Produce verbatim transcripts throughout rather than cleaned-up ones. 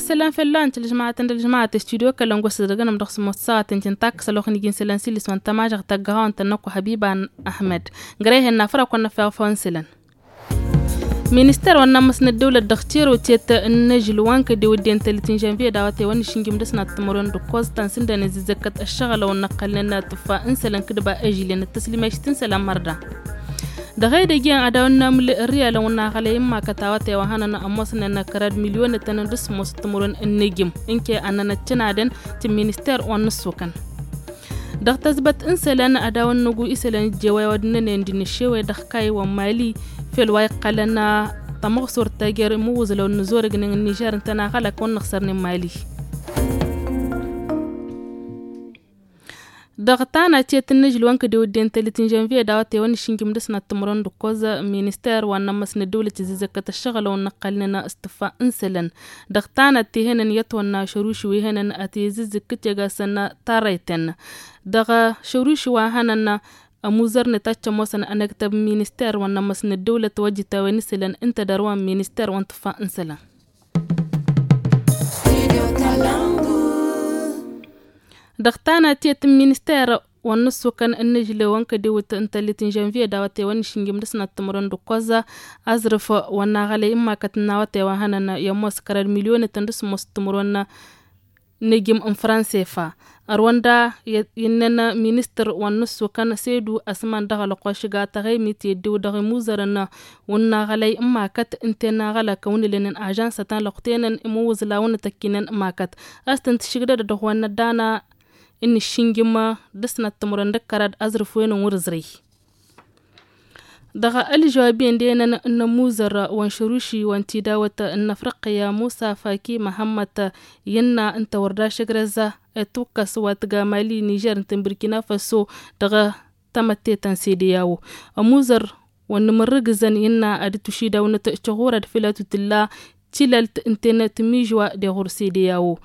Isălan fălla-năt ălžămaɣăt n-ălžămaɣăt s-studio kălăn gosăt dăgg-nămdăɣ s-mossaɣăt n-tintăkk s-ălwăqq n-iji n-isălan s-ilis wa n-tămažăɣt tăggăɣawăn tănnăkku hăbiba n-ahmed. Gărăyhen n-afăra kăwăn-năfeɣ făw n-isălan. Minister wa n-amăs n-ăddăwlăt dăɣ-tirotiyăt n-inǝžǝl wa n-kădewădden tăllit n-žănviye dawăte wa n-išǝnjǝm dăɣ-s n-ad-tǝmrǝwăn d-ǝkkoẓ ta n-sǝndănen zǝzzăkkăt ăššăɣǝlăwăn n-ăqqălnen tǝffa n-isălan kǝdba ežǝllen d-tăslimešit n-isălan mărda. Dăɣ-edăgg iyyăn ad-awăn n-amǝl ărriyalăn wa n-aɣălăy n-imakăt awătay wa hănăn ămoosnen kărad milyonătăn d-ǝsmos d-timǝrwen n-inǝjǝm n-ke ănnăn ăccănadăn ti n-minister wa n-ǝssukăn. Dăɣ-tăzbăt n-isălan ad-awăn năgu isălan ǝjjewăy wa d-ǝnnănen d-inǝššewăy dăɣ-kayy wa n-mali fel wa iqqălăn tamăɣsurt ta jer-imǝwwǝẓlăw n-inǝzorăgnen n-nižer ǝntăneɣ ălak wa n-inǝxsărnen mali. Dăɣ-tanat tiyyăt n-inǝžǝl wa n-kădewădden tăllit n-žănviye dawăte wa n-išǝnjǝm dăɣ-s n-ad-tǝmrǝwăn d-ǝkkoẓ minister wa n-amăs n-ăddăwlăt izǝzzăkkăt ăššăɣǝlăwăn n-ăqqălnen s-tǝffa n-isălan. Dăɣ-tanat ti hănăn i-ătwănna šăruši wi hănăn ad-t-izǝzzǝkkǝt i-ăgasăn tarrăyten. Dăɣ-šăruši wa hănăn ămuzărnet ad-t-ămoosăn ănăktăb n-minister wa n-amăs n-ăddăwlăt wa ǝjjǝtawen isălan ǝnta d-ărwa n-minister wa n-tǝffa n-isălan. Dăɣ-tanat tiyyăt n-minister wa n-ǝssukăn ǝnnǝžlewăn kădewăt n-tăllit n-žănviye dawăte wa n-išǝnjǝm dăɣ-s n-ad-tǝmrǝwăn d-ǝkkoẓ aẓrǝf wa n-aɣălăy n-imakăt n-awătay wa hănăn i-ămoos kărad milyonătăn dăɣ-s ămoos tǝmrǝwăn n-ijǝm n-fransefa. Ărwăn da innăn ministăr wa n-ǝssukăn sedu ăsman dăɣ-ălɣušǝga tăɣemit i-ăddiw dăɣ-imuzărăn wa n-aɣălăy n-imakăt ǝnta i-naɣălăk ăwnǝlănen ažansătăn lăɣtenăn imǝwwǝẓlawăn tăkkinăn imakăt. A-s tăn-tǝššǝgdădăd ăɣwăn n-ăddana n-iššǝnjǝm dăɣ-s n-ad-tǝmrǝwăn d-ǝkkărad aẓrǝf-wen n-wăr-ǝẓrǝy. Dăɣ-ălžăwab-en d-enăn n-ămuzăr wa n-šăruši wa n-tidawăt n-afriqya musa faki măhămmăt, innă ǝnta wăr dašăgrăz ătukkăs wa tǝga mali nižer ǝnta n-burkina faso dăɣ-tamătte ta n-sedeyawo. Ămuzăr wa n-imǝrrǝgǝzăn innă ad-dd-tušidawnăt tiɣurăd făll-a tutǝlla tilălt ǝnta n-timižwa deɣ ɣur-sedeyawo.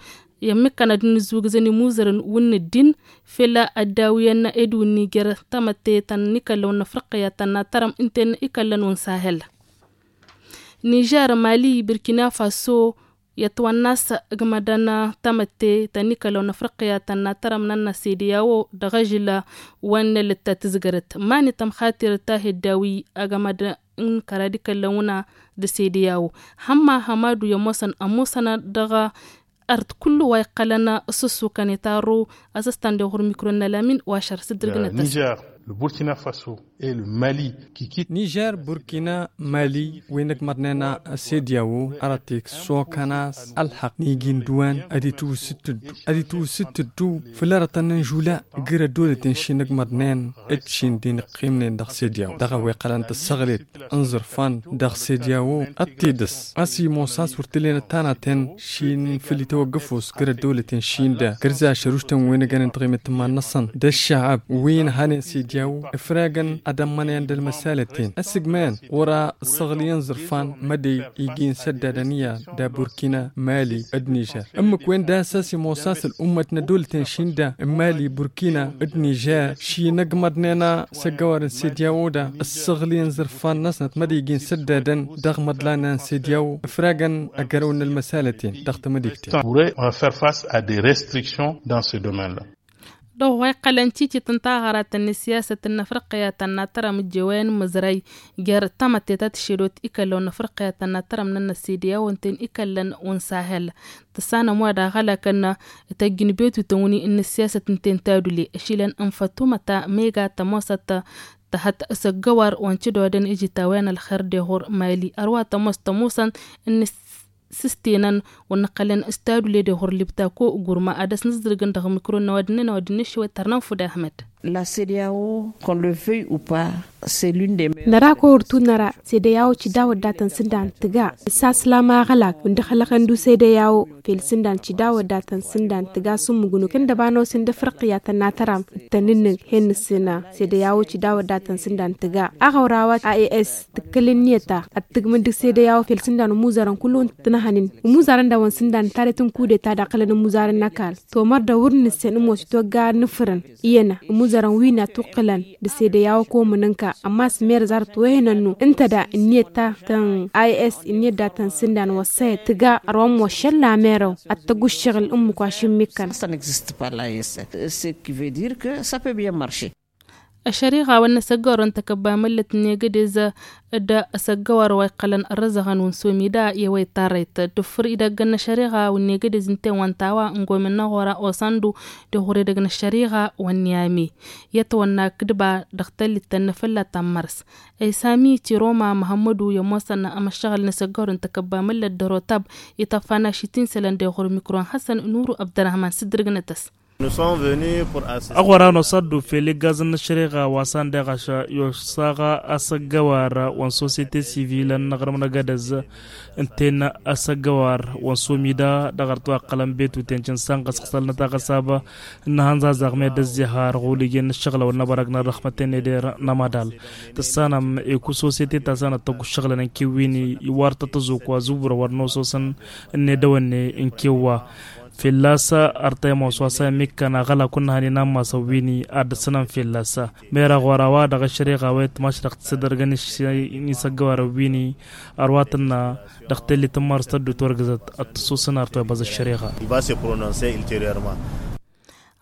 I-ămmikkăn ad-dd-nǝzzugǝzăn imuzărăn wǝnnǝddin făll-a ăddawǝyăn edǝw n-niger tamătte ta n-ikăllăn wa n-afriqya ta n-atărăm ǝnta n-ikăllăn wa n-sahel. Nižer mali burkina faso i-ătwănna a-s ǝgmădăn tamătte ta n-ikăllăn wa n-afriqya ta n-atărăm n-ănnăs sedeyawo dăɣ-ažǝl wa n-elăt ta tǝzgărăt mani tămxatirăt ta hi-ăddawǝy ăgmăd n-kărad ikăllăn wǝnna d-sedeyawo. Hămma hămadu i-ămoosăn ămoosăn dăɣ-art kullu wa iqqălăn s-ǝssukăn itarru. Asăstan deɣ ɣur-mikro n-ălamin wa ašăr s-dd-ǝrgǝnăt-as. Nižer burkina faso, e l-mali. Nižer burkina mali wi n-ǝgmăḍnen s-edyawo arăt iksokăn a-s ălxăqq n-iji n-dăwan ad-itwǝsǝttǝddu ad-itwǝsǝttǝddu făll-arătăn n-žula. Gǝr ăddolăten ši n-ǝgmăḍnen d-ši n-dd-inǝqqimnen dăɣ-s edyawo dăɣ-a-wa iqqălăn tǝssăɣlet n-iẓrǝfan dăɣ-s edyawo ad-t-idăs a-s imoos a-s wăr t-ǝllen ăttanăten ši n-făll-itwăggăfos găr ăddăwlăten ši n-da gărza ašăruštăn wi n-ăgănen taɣimăt n-iman-năsăn d-ăššăɣăb wi n-hănen s-edyawo. Ǝfragăn ad-ămmănăyăn d-ălmăsalăten ăssigmăyăn wăr-a ǝssăɣlǝyăn iẓrǝfan mădăy iji n-săddadăn iyyăn da burkina mali d-nižer ǝmmǝk-wen da a-s a-s imoos a-s ăl'ummăt n-ăddăwlăten ši n-da n-mali burkina d-nižer ši n-ăgmăḍnen s-ăggăwar n-sedyawo da ǝssăɣlǝyăn iẓrǝfan-năsnăt mădăy iji n-săddadăn dăɣ-imăḍlan n-sedyawo. Ǝfragăn ăgg-ărăw n-ălmăsalăten dăɣ-tamădikten. Pourrait faire face à des restrictions dans ce domaine-là. Dăɣ-wa iqqălăn titit n-taɣărat n-siyasăt n-afriqya ta n-atărăm ǝjjewăyăn mǝzrăy jer-tamătte ta tǝššedot ikăllăn n-afriqya ta n-atărăm n-ănnăssidya wa ǝnta-en ikăllăn wa n-sahel. Tǝssanăm wa daɣ ălakăn tăjjǝn betutăn wi n-siyasăt ǝnta-en tadule ăšilăn n-fătumăta mega tămoosăt tăhăt s-ăggăwar wa n-tidodăn ijitawăyăn ălxer deɣ ɣur-mali ărwa tămoos tămoosăn n-s-s-s-tenăn wa n-ăqqălăn s-tadule deɣ ɣur-libtako gurma ad-ăsnǝzdǝrgăn dăɣ-mikro n-ăwadǝm-nănăɣ wa dd-nǝššǝwăt tărnăm fudahmăd. La cdao qu'on le veuille ou pas. Năra ko wăr tunăra sedeyawo cidawăt datăn sǝndan tǝga. Ǝssaslam aɣălak wǝndăɣ hălăɣăn du sedeyawo fel sǝndan cidawăt datăn sǝndan tǝga s-ǝmmǝgnu kăndăbanosen d-afriqya tănnatăram d-tănnǝnnǝg hen-nǝssǝna sedeyawo cidawăt datăn sǝndan tǝga aɣăwrawat a e s. Tǝkkǝl ǝnniyăt ta ad-tǝgmǝd dăɣ-sedeyawo fel sǝndan ămuzarăn kullu n-tǝnhănen ămuzarăn dawăn sǝndan taret n-kudeta daɣ kălăn ămuzarăn n-ăkall tomăr dăɣ-wăr nǝssen ămoos itwăgga ad-nǝfrǝn. Iyyăn Dăr-n wi n-atuqqǝlăn d-sede i-a-wa komǝnǝnka ămmas merăz arăt wehănăn-nu ǝnta da ǝnniyăt ta tăn-i s ǝnniyăt da tăn-sǝndan wăssăyăt tǝga ărwa ămmoššăl lamerăw ad-tăgg uššăɣǝl ǝmmǝk wa šǝmmikăn. Ăššăriɣa wa n-asăggărăn tăkăbba măllăt n-egădez d-asăggăwar wa iqqălăn ărrăzăɣăn wǝnsomi da i-wa ittarrăyt d-ǝffǝr idăgg n-ašăriɣa wa n-egădez n-ten wa n-tawa n-gomen n-aɣora osandu d-iɣur edăgg n-ašăriɣa wa n-iyami i-ătwănna kǝdba dăɣ-tăllit tănnăfălla ta n-mărs. Isami tiroma măhămmădu i-ămoosăn amăššăɣǝl n-asăggărăn tăkăbba măllăt d-ărotab ităffan ašit insălăn d-iɣur mikro n-hasăn nuru ăbdărahman s-dd-ǝrgǝnăt-as. Ăɣora n-osaddu fel iggazăn n-ašăriɣa wa s-anda iɣaš i-osaɣa asăggăwar wa n-sosyete sivil ănnăɣrǝm n-agădăz ǝnta-en asăggăwar wa n-somida dăɣ-arăt wa ǝqqălăn betuten cǝnsa n-ɣăsɣăsălnăt aɣăsab n-ihănẓaẓăɣ meddǝn zihar ɣulǝjăn n-ǝššăɣǝlăwăn n-abărag n-ărrăxmăten eder n-amadal. Tǝssanăm eku sosyete ta s-anăt tăgg uššăɣǝlăn n-kewwini iwar tăt-tăzuk wa zubǝrăwăr n-ososăn n-edăwănne n-kewwa. Fălla-s ărtăyăm wa s-wa s-a imǝkkăn aɣălak wa n-ihănen ammas ăwwin-i ad-dd-sǝnăm fălla-s. Mera ɣur-a-wa dăɣ-ašăriɣa wa itmaš dăɣ-tisăddărgăn n-isăggăwar ăwwin-i ărwa tǝnna dăɣ-tellit n-mars tăddu turgǝzăt ad-tǝssusǝn arăt wa ibăẓ ašăriɣa.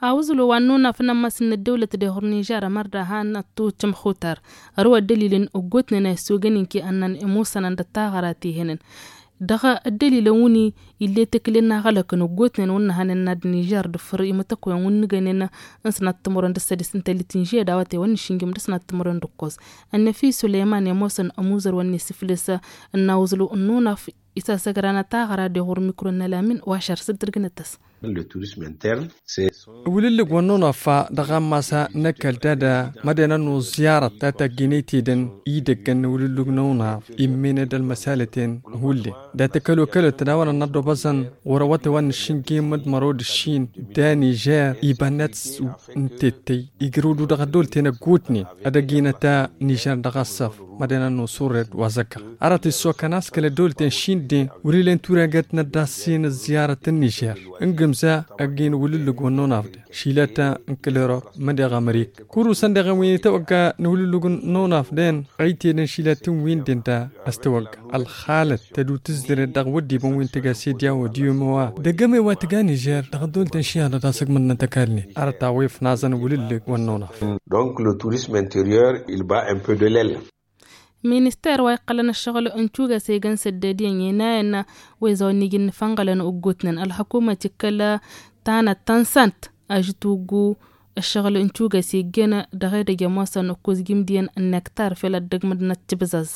Awǝẓlu wa n-nunaf n-ammas n-ăddăwlăt d-eɣur nižer ămăr dahan ăttučăm xutar ărwa ăddălilăn ăggootnen a issogăn inki ănnan imusănăn d-ăttaɣăra tihănen. Dăɣ-ăddălilăn wǝnni ill'-e tăkǝlen n-aɣălăkăn ăggootnen wǝnnăhănen n-ad-nižer d-ǝffǝr imǝtăkwen wǝnnǝgănen n-sănat timǝrwen d-ăssădis n-tăllit n-žeda wa tewăn n-išǝnjǝm d-sănat timǝrwen d-ǝkkoẓ. Ănnăf-i sulăyman i-ămoosăn ămuzăr wa n-isǝflǝs n-awǝẓlu n-nunaf isasăgran ătaɣăra d-iɣur mikro n-ălamin wa šăr s-dd-ǝrgǝnăt-as. Ăwǝlǝllǝg wa n-nunaf dăɣ-a n-masa n-ăkall dada mădden ad-nuẓ ziyarăt ta tagginăy tidăn idăggăn n-ăwǝlǝllǝg n-nunaf immen-dd ălmăsalăten hullen dat-ăkall okălăt d-a-wa n-ad-năddobăẓăn ɣur-awătay wa n-išǝnjǝm d-mărăw d-ǝššin d-anižer iba n-ad-s n-tettăy ijrǝwdu dăɣ-ăddăwlăten ăggootnen ad-ăgginăt anižer dăɣ-ăṣṣăf. Mădden ad-nuẓ urred wa zăkkăɣ arăt issokăn a-s kăl-ăddăwlăten šindden wăr-ila n-turagăt n-ad-dd-ass'-in ăzziyarăt n-nižer n-gǝmza ăgg-in wǝlǝllǝg wa n-nunaf-den šilat n-kăl-erop mădeɣ ămrik. Kurusăn dăɣ-en wi n-itawăgga n-wǝlǝllǝg n-nunaf-den ăytedăn šilat n-win-den da ăstawăgga ălxalăt tădu tǝzzǝret dăɣ-wăddiibăn wi n-tăgga sedya wa d-iyomowa d-ăgg-ămăy wa tǝgga nižer dăɣ-ăddăwlăten šiyadăt asǝgmǝd n-tăkall-net. Arăt a-wa ifnaẓăn wǝlǝllǝg wa n-nunaf. Donc le tourisme intérieur il bat un peu de l'aile. Minister wa iqqălăn ăššăɣǝl n-tugas egăn sădded iyyăn i-nayăn wa izawăn iji n-nǝfănɣălăn ăggootnen ălxăkumăt ikkăl tanăt tănsant ažǝt uggu ăššăɣǝl n-tugas iggen dăɣ-edăgg i-ămoosăn ǝkkoẓ jimdiyăn n-nektar fel ad-dăgg mădnăt tibzăẓ.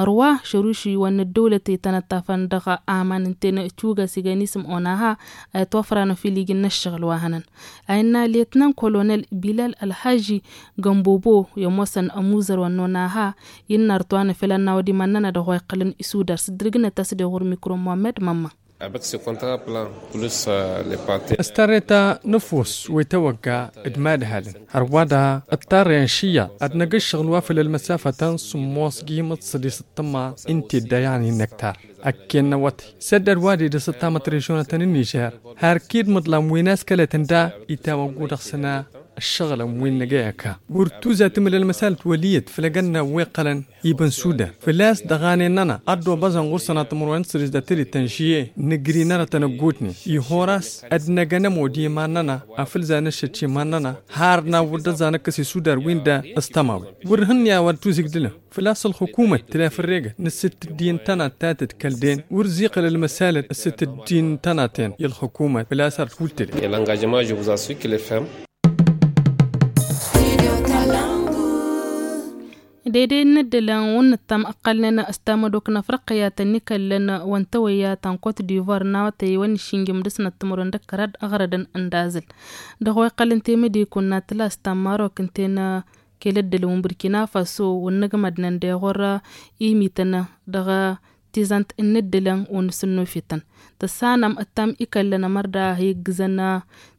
Ărwa šăruši wa n-ăddăwlăt itănăttafăn dăɣ-aman ǝnta-en tugas igăn isǝm onaha a itwăfranăn fil iji n-ăššăɣǝl wa hănăn a innă letnan kolonel bilal ălhaži gănbobo i-ămoosăn ămuzăr wa n-onaha innă ărtwanăn fel ănnawăd iman-nănăɣ dăɣ-wa iqqălăn isudar s-dd-ǝrgǝnăt a-s d-iɣur mikro muhammed mămma. Ăstărreta n-ăfuss wa itawăgga d-imadhalăn ărwa da ǝṭṭarrăyăn šiyyaḍ ad-năgg ǝššăɣǝl wa făll-ălmăsafa ta n-sǝmmos gimǝḍ sădis ǝṭṭămma n-tedda yan-innăktar. Ăkken n-awătay săddăd wa d-idăs ăṭṭamăt režionătăn n-nižer har kid mǝḍlam wi n-askălătăn da itawăggu dăɣ-săna ăššăɣǝlăn wi n-năgăy ăka wăr tuzat imǝl ălmăsalăt wăl' iyyăt făll-egănna wi ǝqqălăn ibăn sudar făl-a-s dăɣ-anen-nănăɣ ad-dd-obăẓăn ɣur-săn ad-tǝmrăwen s-sădis d-atălit tăn-žiyye nǝgri n-arătăn ăggootnen ihor a-s ad-năgănăm odimăn-nănăɣ afǝlzan ăššăt iman-nănăɣ har n-awǝr d-ăẓẓa năkkăs isudar-win-da s-tămawen wăr hǝnni a-wa d-tuzǝgdǝlăm făl-a-s ălxukumăt tǝla făll-regăt n-ǝssǝt ăddin n-tănat ta tǝdkăl-den wăr ziqăl ălmăsalăt ǝssǝt ăddin n-tănat-en i-ălxukumăt făl-a-s ar t-wǝl tǝla. Dede n-ǝddǝlăn wǝnnǝttăm ǝqqălnen s-tamădok n-afriqya tăn-ikăllăn wa n-tawăyya ta n-kot divoir n-awătay wa n-išǝnjǝm dăr-snăt timǝrwen d-ăkkărad ăɣrădăn ǝndazǝl dăɣ-wa iqqălăn temădikun n-atlas ta n-marok ǝnta-en kăl-ăddǝlăn wa n-burkina faso wa n-ăgmădnăn deɣ wăr-imităn dăɣ-tizant n-ǝddǝlăn wa n-asǝnnofităn tăssanăm ǝttam ikăllăn ămăr da iggǝzăn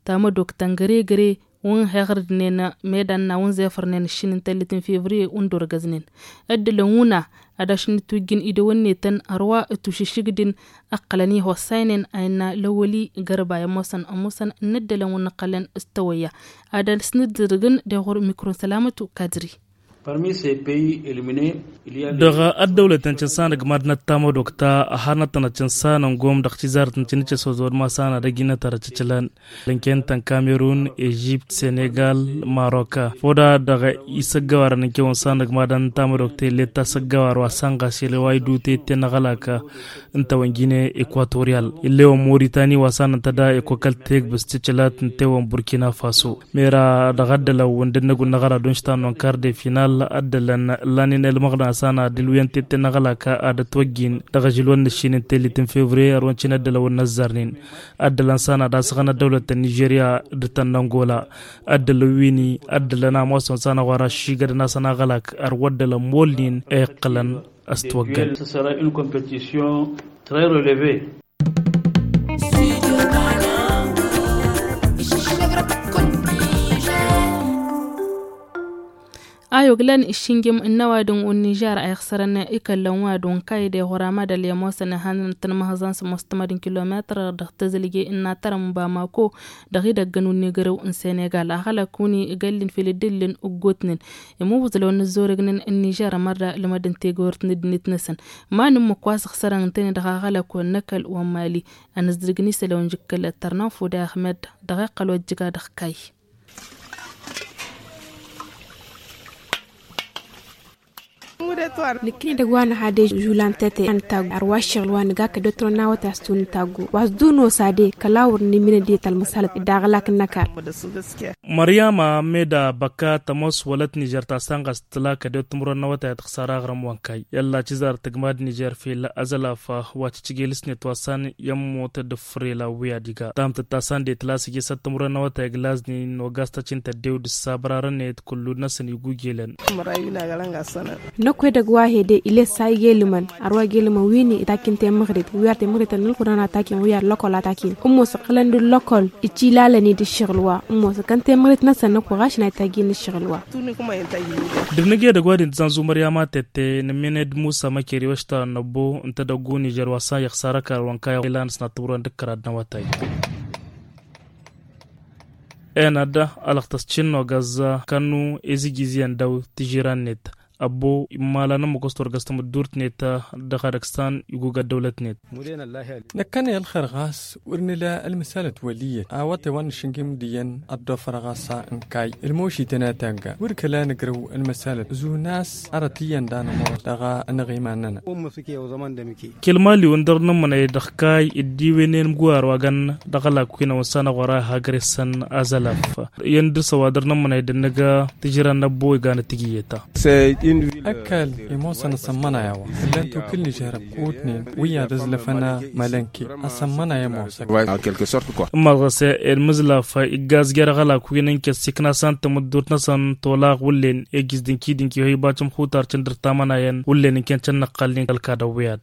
tamădok ta n-găre-găre. Wǝnhăɣrǝdnen medan n-a wǝnzefărnen ǝššin n-tellit n-fevriye wǝndorgăznen ăddălăn wǝna ad-ašǝnnǝtwǝjjǝn idăwănnetăn ărwa ătušǝššǝgdǝn. Ăqqălăn ihossanen a innă lăwăli gărba i-ămoosăn ămoosăn n-ăddălăn wǝnnăqqălăn s-tăwăyya ad-ăsnǝddǝrǝgǝn deɣur mikro n-sălamătu kadri. Dăɣ-ăddăwlăt n-cǝnsanăg mad-năt tamădokta ăharnăt tănăt cǝnsanăn gom dăɣ-tizarăt n-cǝnǝcăs ozor ma s-anădăg innăt arăt cǝcǝlan. Lănkentăn kamerun ežipt senegal, maroka foda dăɣ-isăggăwarăn n-kewăn s-anăg mad-năt tamădokta illet asăggăwar wa s-anɣas ilăway dute tenăɣălaka n-tawănjine ekuatoryal. Illewăn moritani wa s-anăntăda ekokăl tegbǝs cǝcǝlat n-tewăn burkina faso. Mera dăɣ-ăddălăw ǝndǝnnăg unăɣăr ad-unštan n-onkar de final ăddălăn lanin elmăɣna s-ana dǝlwǝyăn tette n-aɣălaka ad-ătwăjjin dăɣ-ažǝlwăn n-ǝššin n-tellit n-fevriye ărwăn cin ăddălăw n-inăzzarnen. Ăddălăn s-ana ad-asăɣăn ăddăwlăt n-nižerya d-tănnăngola. Ăddălăw wi-ni ăddălăn a ămoosăn s-anăɣ wăr-aššigădăn-asăn aɣălak ărwăddălăn molnin a iqqǝlăn. Ăstwăggăn. Ayoglan iššinjim n-ăwadǝm unnižar a iɣsărăn ikăllăn wa d-unkayi d-iɣuram ad-ăllemosăn ihannăn tǝnmăhăẓăn s-mostămăd n-kilometăr dăɣ-tezǝlje n-natărăm n-bamako dăɣ-idăggăn unnigărăw n-senegal aɣălăk wǝni igăllin fil-dd-illin ǝggotnen. Imǝwwǝẓ lăwăn n-ăzzorăgnen n-nižar ămărra lămădăn tegort n-ăddinăt-năsăn. Ma n-ǝmmǝk wa s-ăxsărăn ǝntăne dăɣ-aɣălăk wa n-ăkall wa n-mali. Ănǝzdǝrgăn isălan jǝkkăl ăttărnan fud i-ahmed dăɣ-iqqăl wa ăjjǝga dăɣ-kayy. Nǝkkǝni dăgg-wa nǝha de žulan tete a nǝtaggu ărwa ǝššăɣǝl wa nǝga kădde turăn n-awătay a-s tun nǝtaggu wa s-dd-unosade kăla wăr nǝminăd i-talmăsalăt d-aɣlak n-ăkall. Măryama meda băka tămoos wălăt nižer ta s-anɣas tǝla kădde tumrăn n-awătay ad-tăxsar aɣrǝm wa n-kayy i-ălla cizar tǝgmad nižer fil ăzălaf wa cǝcǝgel s-net wa s-an i-ămmut d-ǝffrel awwi ad-iga tamtăt ta s-an de tǝla s-ijǝsăt timǝrwen n-awătay ǝglazni n-ogas tăcin tăddew d-ǝssabărarăn-net kullu-năsăn igujelăn. Năkk edăgg wa hede iles sa igelǝmăn ărwa igelǝmăn wi-ni itakin temăɣrit wi ar temăɣrit ănnălkudăn atakin wi ar lăkol atakin ǝmmos ǝqqǝlăn d-lăkol icilalăn-i d-ǝššăɣǝl wa ǝmmos ǝkkăn temăɣrit-năsăn năkk wa ɣašăn a itajjin ǝššăɣǝl wa. Dăɣ-năgg edăgg wa din tǝzanzu măryama tette nǝmmined musa măkeri wa ăštarăn năbbo n-tedăggu nižer wa s-a iɣsar ăkall wa n-kayy ilan s-năttăwrăn d-ǝkkărad n-awătay. Enăd ălăɣtăs cinno găzza kănnu ezǝj izǝyăn daw tižiran-net ăbbo immalan n-măkos turgăs tamǝddurt-net dăɣ-adăgsan igug ăddăwlăt-net. Năkkăne ălxer ɣas wăr nǝla ălmǝsalăt wăl' iyyăt awătay wa n-išǝngim d-iyyăn ăddofăr ɣas a n-kayy ălmošităn a tagga wăr kăla nǝgrăw ălmǝsalăt zun a-s arăt iyyăn d-anămor dăɣ-anăɣ iman-nănăɣ. Kăl-mali wăn dăr-nǝmmănăy dăɣ-kayy dd-iwǝynen imguwar wa găn dăɣ-ălak wi n-awănsa n-aɣora hagre-săn azălaf iyyăn dăr-s ăwadăr n-ămmănăy d-ănnăga tǝjran n-ăbbo iganăt tǝgǝyyăt-ta. Ăkall imoosăn asămmănay a-wa ǝllan-t ukǝl nižer ăbkutnen wi ad-ăzlăfăn mălănke asămmănay ămoosăn. Ǝmmăẓ ɣas i-ălmǝzlaf iggaz jer-aɣălak wi n-inkes ikna s-an tamǝddurt-năsăn tolaɣ wǝllen ejjǝz d-inkidǝnki hoy bacăm xutar cǝndăr tamănayăn wǝllen inkăn cănnăqqalnen ălkadăw wi-ad.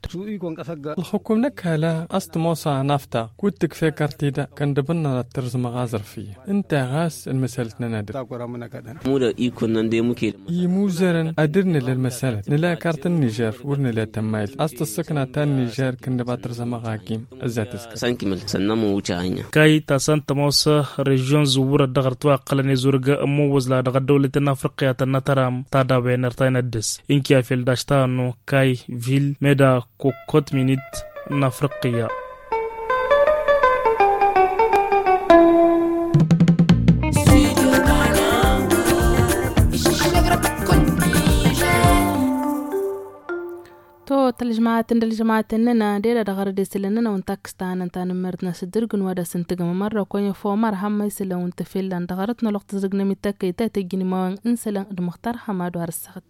Ălxukum n-ăkall a-s tămoos a ănaftaɣ kud-tǝkf' ekărtida kăndăb-nănăɣ ad-tărzǝmăɣ aẓrǝf iyyăn ǝnta ɣas ălmăsalăt-nănăɣ dăr-i. Imuzărăn ad-dd-nǝla ălmăsalăt nǝla ekart n-nižer wăr nǝla tămmayǝlt a-s tǝssǝkna ta n-nižer kăndăb ad-tărzămăɣ agim. Ăzzat ǝzkăr. Kayy ta s-an tămoos režion zǝwwărăt dăɣ-ărăt wa ǝqqălăn i-zurǝg ămmăwwăẓ la dăɣ-ăddăwlăten n-afriqya tănnătăram tadawăyăn irtayăn ăddǝs. Inki afel daš ta ănnu kayy vil meda kokkot minit n-afriqya. To tălžămaten d-ălžămaten-nănăɣ deda dăɣ-arăd isǝlăn-nănăɣ wǝnta ǝkkǝstanăn tanǝmmert n-asǝddǝrgǝn wa d-asǝntǝgǝm ămărrăkwen efomar hămmăy isǝlăn wǝnta fellăn dăɣ-arăt n-ălwăqq tǝzrǝgnăm ităkkăy ta tǝjjǝn imawăn n-isǝlăn d-măxtar hămad wa răssăɣăt.